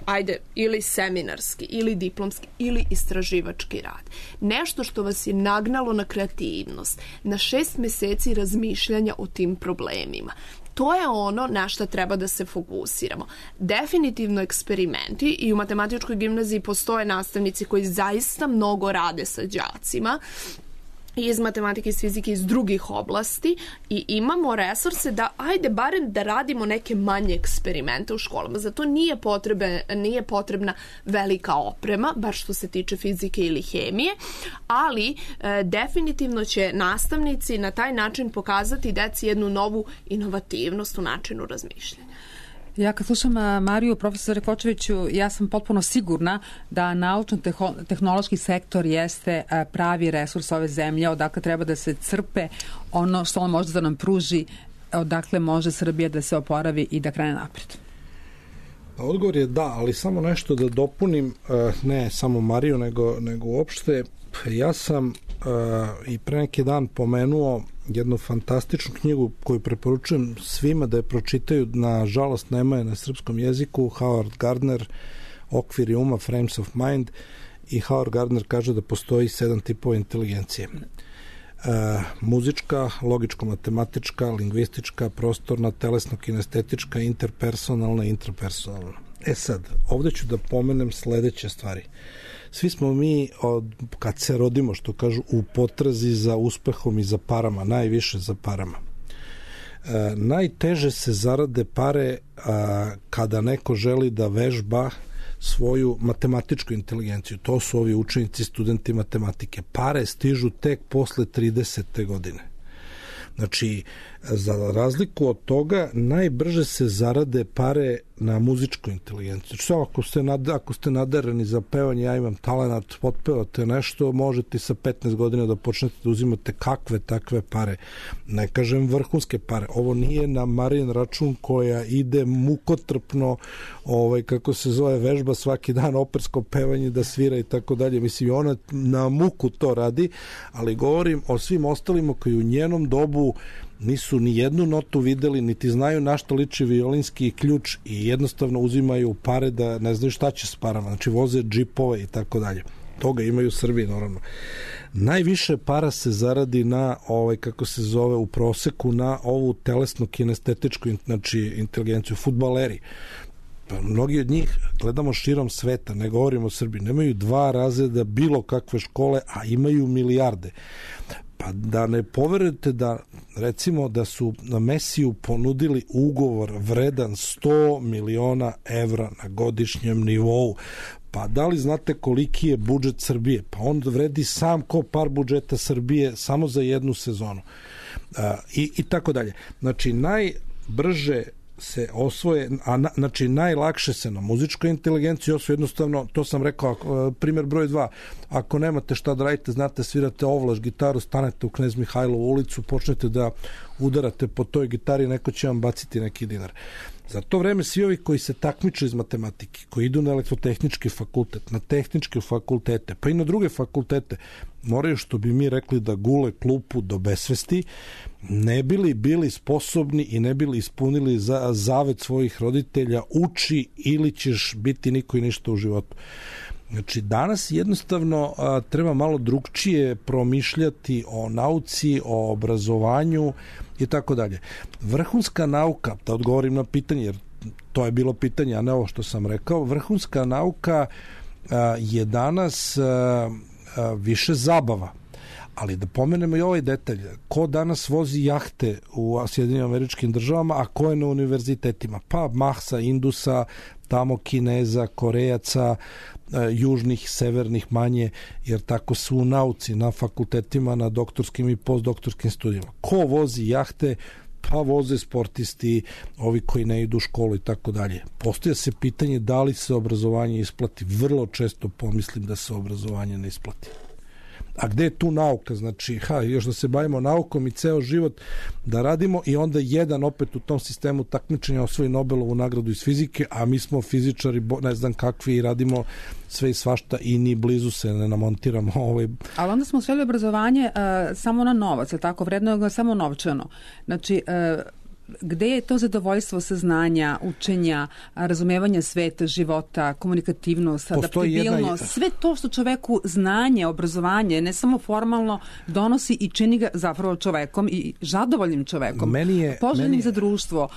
ili seminarski, ili diplomski, ili istraživački rad. Nešto što vas je nagnalo na kreativnost, na 6 meseci razmišljanja o tim problemima. To je ono na što treba da se fokusiramo. Definitivno eksperimenti i u matematičkoj gimnaziji postoje nastavnici koji zaista mnogo rade sa đacima iz matematike, iz fizike, iz drugih oblasti i imamo resurse da, barem da radimo neke manje eksperimente u školama. Zato nije potrebna velika oprema, bar što se tiče fizike ili hemije, ali definitivno će nastavnici na taj način pokazati deci jednu novu inovativnost u načinu razmišljanja. Ja kad slušam Mariju, profesore Kočeviću, ja sam potpuno sigurna da naučno-tehnološki sektor jeste pravi resurs ove zemlje, odakle treba da se crpe ono što on može da nam pruži, odakle može Srbija da se oporavi i da krene napred. Odgovor je da, ali samo nešto da dopunim, ne samo Mariju, nego uopšte. Ja sam i pre neki dan pomenuo jednu fantastičnu knjigu koju preporučujem svima da je pročitaju, nažalost nema je na srpskom jeziku, Howard Gardner, Okviri uma, Frames of Mind, i Howard Gardner kaže da postoji 7 tipova inteligencije. Muzička, logičko-matematička, lingvistička, prostorna, telesno-kinestetička, interpersonalna i intrapersonalna. Sad, ovde ću da pomenem sledeće stvari. Svi smo mi, kad se rodimo, što kažu, u potrazi za uspehom i za parama, najviše za parama. Najteže se zarade pare kada neko želi da vežba svoju matematičku inteligenciju. To su ovi učenici, studenti matematike. Pare stižu tek posle 30. godine. Znači, Za razliku od toga, najbrže se zarade pare na muzičku inteligenciju. Samo ako ste nadareni za pevanje, ja imam talenat, potpevate nešto, možete sa 15 godina da počnete da uzimate kakve takve pare. Ne kažem vrhunske pare. Ovo nije na Marin račun koja ide mukotrpno, kako se zove, vežba svaki dan opersko pevanje, da svira i tako dalje. Mislim, ona na muku to radi, ali govorim o svim ostalima koji u njenom dobu nisu ni jednu notu videli, niti znaju na što liči violinski ključ i jednostavno uzimaju pare da ne znaju šta će s parama. Znači voze džipove i tako dalje. Toga imaju u Srbiji, naravno. Najviše para se zaradi na, kako se zove, u proseku na ovu telesno-kinestetičku, znači inteligenciju, fudbaleri. Mnogi od njih, gledamo širom sveta, ne govorimo o Srbiji, nemaju 2 razreda bilo kakve škole, a imaju milijarde. Pa da ne poverujete da, recimo, da su na Mesiju ponudili ugovor vredan 100 miliona evra na godišnjem nivou. Pa da li znate koliki je budžet Srbije? Pa on vredi sam ko par budžeta Srbije samo za jednu sezonu. I tako dalje. Znači, najbrže se osvoje, znači najlakše se na muzičkoj inteligenciji osvoje, jednostavno, to sam rekao, primjer broj 2, ako nemate šta da radite, znate, svirate ovlaš gitaru, stanete u Knez Mihajlovu ulicu, počnete da udarate po toj gitari, neko će vam baciti neki dinar. Za to vreme svi ovi koji se takmiče iz matematike, koji idu na elektrotehnički fakultet, na tehničke fakultete, pa i na druge fakultete, moraju, što bi mi rekli, da gule klupu do besvesti, ne bili bili sposobni i ne bili ispunili zavet svojih roditelja, uči ili ćeš biti niko i ništa u životu. Znači, danas jednostavno treba malo drugčije promišljati o nauci, o obrazovanju i tako dalje. Vrhunska nauka, da odgovorim na pitanje, jer to je bilo pitanje, a ne ovo što sam rekao, vrhunska nauka je danas više zabava. Ali da pomenemo i ovaj detalj, ko danas vozi jahte u Sjedinjenim Američkim Državama, a ko je na univerzitetima? Pa Mahsa, Indusa, tamo Kineza, Korejaca, južnih, severnih manje, jer tako su u nauci, na fakultetima, na doktorskim i postdoktorskim studijama. Ko vozi jahte? Pa voze sportisti, ovi koji ne idu u školu i tako dalje. Postoje se pitanje da li se obrazovanje isplati. Vrlo često pomislim da se obrazovanje ne isplati. A gde je tu nauka? Znači, još da se bavimo naukom i ceo život da radimo i onda jedan opet u tom sistemu takmičenja osvoji Nobelovu nagradu iz fizike, a mi smo fizičari, ne znam kakvi, i radimo sve i svašta i ni blizu se ne namontiramo. Ali onda smo sveli obrazovanje samo na novac, tako vredno samo novčano. Znači, gde je to zadovoljstvo saznanja, učenja, razumevanja sveta, života, komunikativnost, adaptabilnost, sve to što čoveku znanje, obrazovanje, ne samo formalno, donosi i čini ga zapravo čovekom i zadovoljnim čovekom, poželjnim za društvo,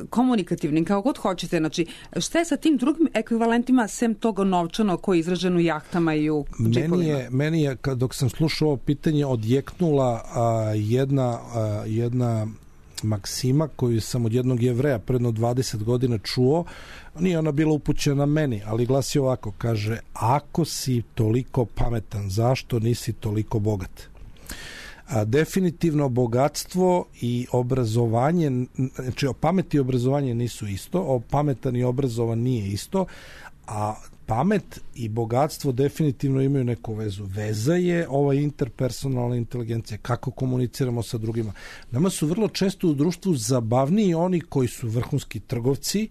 komunikativnim, kao god hoćete. Znači, šta je sa tim drugim ekvivalentima sem toga novčano koji je izražen u jahtama i u džipovima? Meni je, dok sam slušao ovo pitanje, odjeknula jedna maksima koju sam od jednog Jevreja predno 20 godina čuo. Nije ona bila upućena meni, ali glasi ovako, kaže: ako si toliko pametan, zašto nisi toliko bogat? Definitivno bogatstvo i obrazovanje, znači pamet i obrazovanje nisu isto, pametan i obrazovan nije isto, a pamet i bogatstvo definitivno imaju neku vezu. Veza je ova interpersonalna inteligencija, kako komuniciramo sa drugima. Nama su vrlo često u društvu zabavniji oni koji su vrhunski trgovci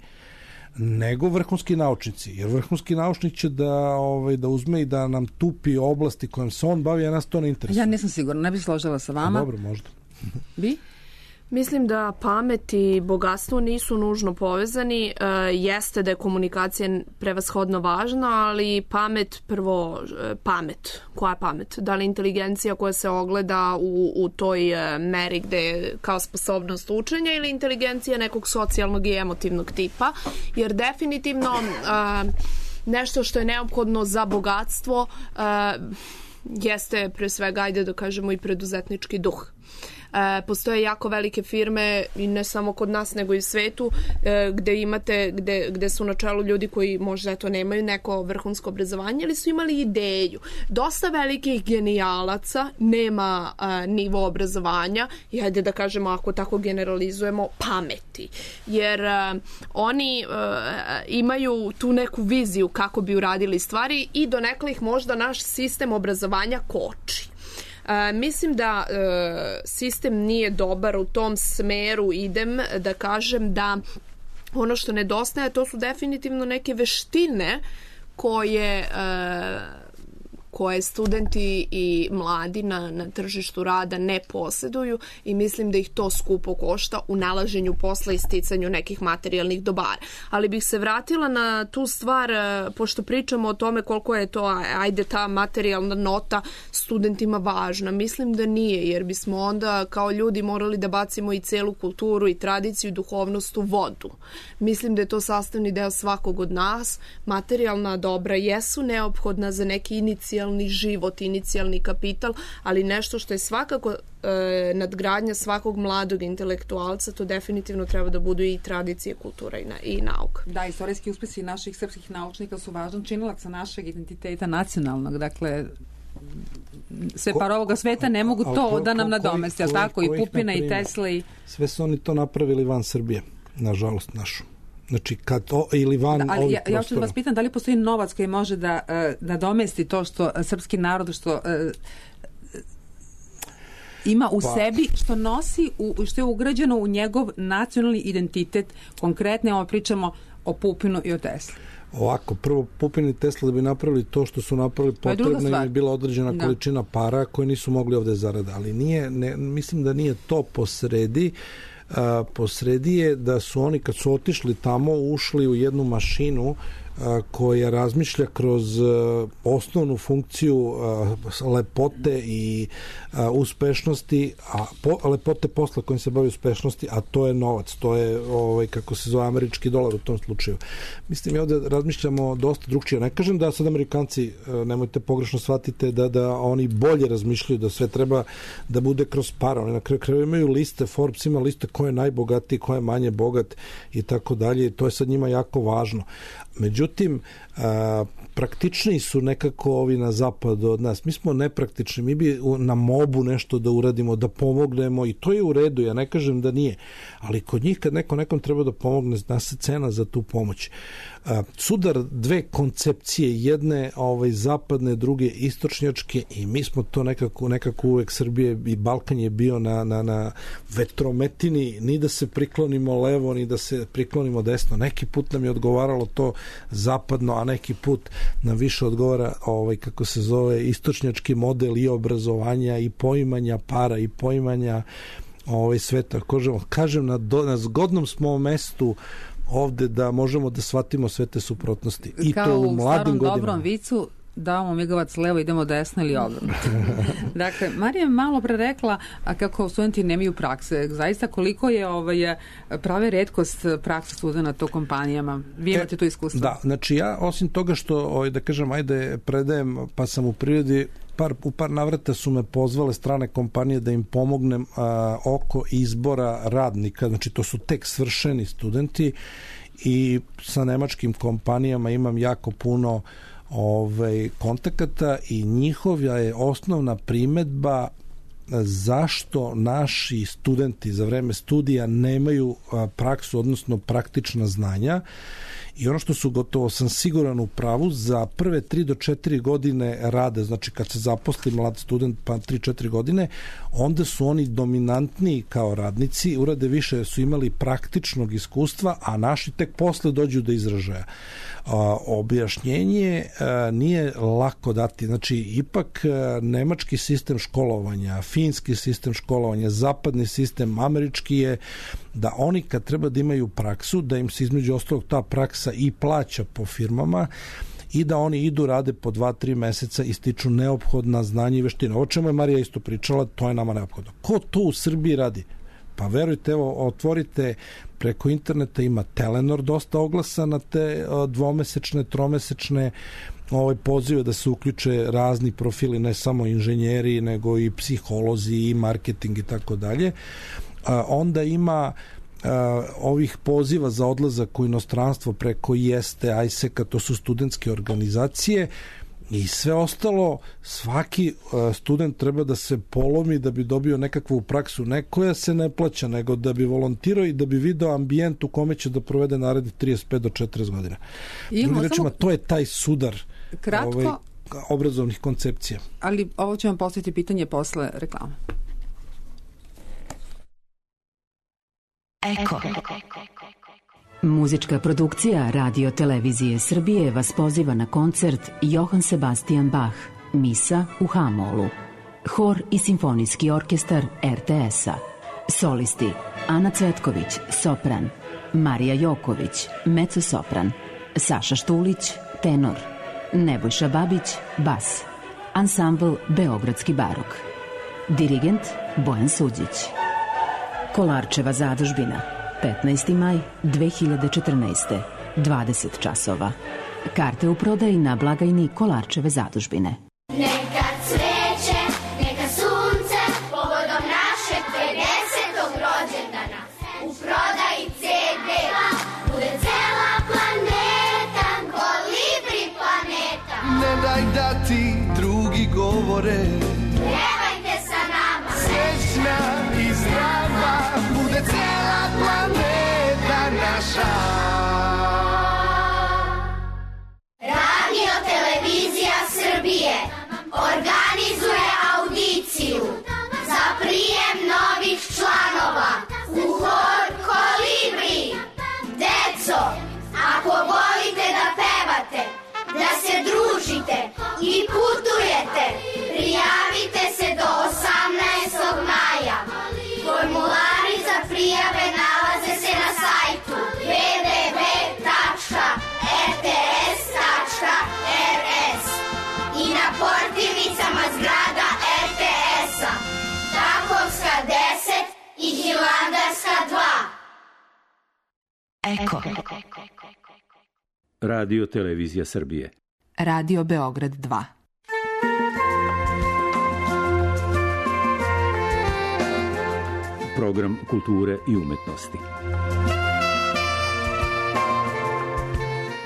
nego vrhunski naučnici. Jer vrhunski naučnik će da uzme i da nam tupi oblasti kojom se on bavi, a nas to ne interesuje. Ja nisam sigurna, ne bih složila sa vama. Dobro, možda. Vi? Mislim da pamet i bogatstvo nisu nužno povezani. Jeste da je komunikacija prevashodno važna, ali pamet, prvo pamet. Koja je pamet? Da li inteligencija koja se ogleda u toj meri gde je kao sposobnost učenja ili inteligencija nekog socijalnog i emotivnog tipa? Jer definitivno nešto što je neophodno za bogatstvo jeste pre svega, ajde da kažemo, i preduzetnički duh. Postoje jako velike firme i ne samo kod nas nego i u svetu gde su na čelu ljudi koji možda eto nemaju neko vrhunsko obrazovanje ili su imali ideju. Dosta velikih genijalaca nema nivo obrazovanja i hajde da kažemo, ako tako generalizujemo, pameti. Jer oni imaju tu neku viziju kako bi uradili stvari i donekle ih možda naš sistem obrazovanja koči. Mislim da sistem nije dobar, u tom smeru idem da kažem da ono što nedostaje to su definitivno neke veštine koje studenti i mladi na tržištu rada ne posjeduju i mislim da ih to skupo košta u nalaženju posla i sticanju nekih materijalnih dobara. Ali bih se vratila na tu stvar, pošto pričamo o tome koliko je to, ajde, ta materijalna nota studentima važna. Mislim da nije, jer bismo onda kao ljudi morali da bacimo i celu kulturu i tradiciju i duhovnost u vodu. Mislim da je to sastavni deo svakog od nas. Materijalna dobra jesu neophodna za neki inicijalni život, inicijalni kapital, ali nešto što je svakako nadgradnja svakog mladog intelektualca, to definitivno treba da budu i tradicije, kultura i nauka. Da, istorijski uspesi naših srpskih naučnika su važan činilac našeg identiteta nacionalnog, dakle sve par ovoga sveta ne mogu to da nam nadomesti, ali tako i Pupina i Tesla i... Sve su oni to napravili van Srbije, nažalost našu. Znači, kad ili van ovih prostora. Ja ću da vas pitam, da li postoji novac koji može da nadomesti to što srpski narod što ima u sebi, što nosi, što je ugrađeno u njegov nacionalni identitet, konkretno pričamo o Pupinu i o Tesli. Ovako, prvo Pupin i Tesla da bi napravili to što su napravili, potrebna im je bila određena količina para koje nisu mogli ovde zarada, ali mislim da nije to posredi. Posredi je da su oni kad su otišli tamo ušli u jednu mašinu koja razmišlja kroz osnovnu funkciju lepote i uspešnosti, a lepote posla kojim se bavi uspešnosti, a to je novac, to je kako se zove američki dolar u tom slučaju. Mislim, ovde razmišljamo dosta drugčije. Ne kažem da sad Amerikanci, nemojte pogrešno shvatite, da oni bolje razmišljaju, da sve treba da bude kroz para. Oni na kraju imaju liste, Forbes ima liste ko je najbogatiji, ko je manje bogat i tako dalje. To je sad njima jako važno. Međutim, praktičniji su nekako ovi na zapadu od nas. Mi smo nepraktični, mi bi na mobu nešto da uradimo, da pomognemo i to je u redu, ja ne kažem da nije, ali kod njih kad nekom treba da pomogne, zna se cena za tu pomoć. Sudar dve koncepcije, jedne zapadne, druge istočnjačke i mi smo to nekako uvek, Srbije i Balkan je bio na vetrometini, ni da se priklonimo levo, ni da se priklonimo desno. Neki put nam je odgovaralo to zapadno, a neki put nam više odgovara kako se zove istočnjački model i obrazovanja i poimanja para i poimanja sveta. Kažem, na zgodnom smo mestu ovde da možemo da shvatimo sve te suprotnosti. I kao to u mladim godinama. Kao u starom dobrom vicu, davamo migavac levo, idemo desno ili obrnuto. Dakle, Marija je malo pre rekla kako studenti nemaju prakse. Zaista koliko je prave retkost praksa studenta u kompanijama? Vi imate to iskustvo? Da, znači ja osim toga što, da kažem, ajde predajem, pa sam u prirodi, u par navrata su me pozvale strane kompanije da im pomognem oko izbora radnika, znači to su tek svršeni studenti i sa nemačkim kompanijama imam jako puno kontakata i njihova je osnovna primedba zašto naši studenti za vreme studija nemaju praksu, odnosno praktična znanja. I ono što su gotovo sam siguran u pravu, za prve 3 do 4 godine rade, znači kad se zaposli mlad student pa 3-4 godine, onda su oni dominantniji kao radnici, urade više, su imali praktičnog iskustva, a naši tek posle dođu do izražaja. Objašnjenje nije lako dati, znači ipak nemački sistem školovanja, finski sistem školovanja, zapadni sistem, američki je da oni kad treba da imaju praksu, da im se između ostalog ta praksa i plaća po firmama i da oni idu, rade po 2-3 meseca i stiču neophodna znanja i veštine. O čemu je Marija isto pričala, to je nama neophodno. Ko to u Srbiji radi? Pa verujte, evo, otvorite preko interneta, ima Telenor dosta oglasa na te dvomesečne, tromesečne pozive da se uključe razni profili, ne samo inženjeri, nego i psiholozi i marketing i tako dalje. Onda ima ovih poziva za odlazak u inostranstvo preko IESTE, ISEC-a, to su studentske organizacije, i sve ostalo. Svaki student treba da se polomi da bi dobio nekakvu praksu, ne koja se ne plaća, nego da bi volontirao i da bi video ambijent u kome će da provede narednih 35 do 40 godina. Drugim rečima, to je taj sudar obrazovnih koncepcija. Ali ovo ću vam postaviti pitanje posle reklama. Eko. Muzička produkcija Radio Televizije Srbije vas poziva na koncert Johann Sebastian Bach, Misa u H-molu. Hor i simfonijski orkestar RTS-a. Solisti Ana Cvetković, sopran, Marija Joković, mezzo-sopran, Saša Štulić, tenor, Nebojša Babić, bas. Ansambl Beogradski barok. Dirigent Bojan Suđić. Kolarčeva zadužbina, 15. maj 2014. 20 časova. Karte u prodaji na blagajni Kolarčeve zadužbine. Neka cveće, neka sunce, povodom našeg 50. rođendana. U prodaji CD, bude cela planeta, kolibri planeta. Ne daj da ti drugi govore, Pevajte sa nama, srećna i zdrava, bude cela planeta naša. Radio Televizija Srbije organizuje audiciju za prijem novih članova u hor Kolibri. Deco, ako volite da pevate, da se družite i putujete, prijavite se do 18. maja. Formulari za prijave nalaze se na sajtu www.rts.rs i na portirnicama zgrada RTS-a, Takovska 10 i Hilandarska 2. Eko. Radio Televizija Srbije. Radio Beograd 2. Program kulture i umetnosti.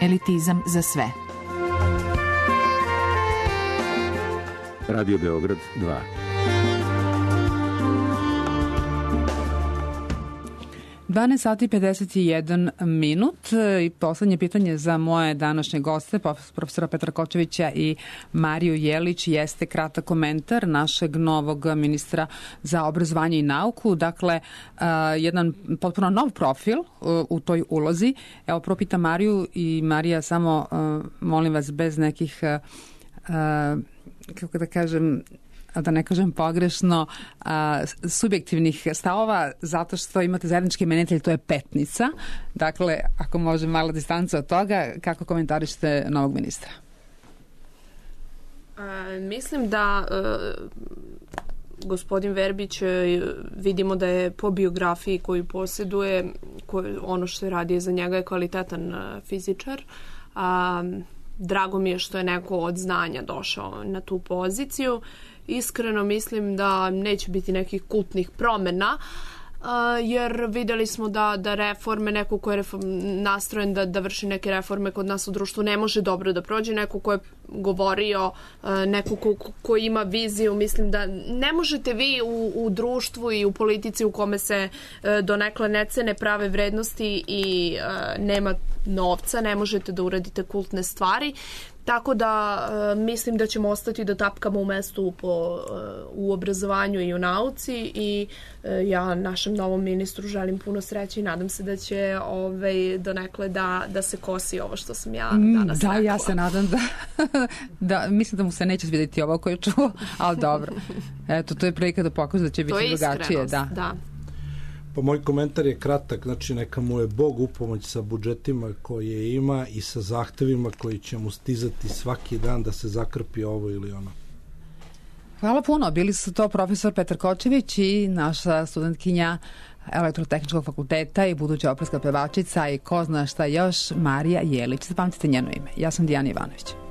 Elitizam za sve. Radio Beograd 2. Sati 51 minut i poslednje pitanje za moje današnje goste, profesora Petra Kočevića i Mariju Jelić, jeste kratak komentar našeg novog ministra za obrazovanje i nauku. Dakle, jedan potpuno nov profil u toj ulozi. Evo, prvo pitam Mariju i Marija, samo molim vas bez nekih, kako da kažem, da ne kažem pogrešno, subjektivnih stavova, zato što imate zajednički imenitelj, to je Petnica. Dakle, ako može mala distanca od toga, kako komentarišete novog ministra? Mislim da gospodin Verbić, vidimo da je po biografiji koju posjeduje, ono što je radio za njega je kvalitetan fizičar. Drago mi je što je neko od znanja došao na tu poziciju. Iskreno mislim da neće biti nekih kultnih promjena, jer videli smo da reforme, neko ko je nastrojen da vrši neke reforme kod nas u društvu ne može dobro da prođe, neko ko je govorio, neko ko ima viziju. Mislim da ne možete vi u društvu i u politici u kome se donekle ne cene prave vrednosti i nema novca, ne možete da uradite kultne stvari. Tako da mislim da ćemo ostati da tapkamo u mestu u obrazovanju i u nauci i ja našem novom ministru želim puno sreće i nadam se da će donekle da se kosi ovo što sam ja danas rekla. Da, ja se nadam da mislim da mu se neće svidjeti ovo koje čuo, ali dobro. Eto, to je prilika da pokaže da će biti drugačije. Da. Pa moj komentar je kratak, znači neka mu je Bog upomoć sa budžetima koje ima i sa zahtevima koji će mu stizati svaki dan da se zakrpi ovo ili ono. Hvala puno. Bili su to profesor Petar Kočević i naša studentkinja Elektrotehničkog fakulteta i buduća operska pevačica i ko zna šta još, Marija Jelić. Zapamtite njeno ime. Ja sam Dijana Ivanović.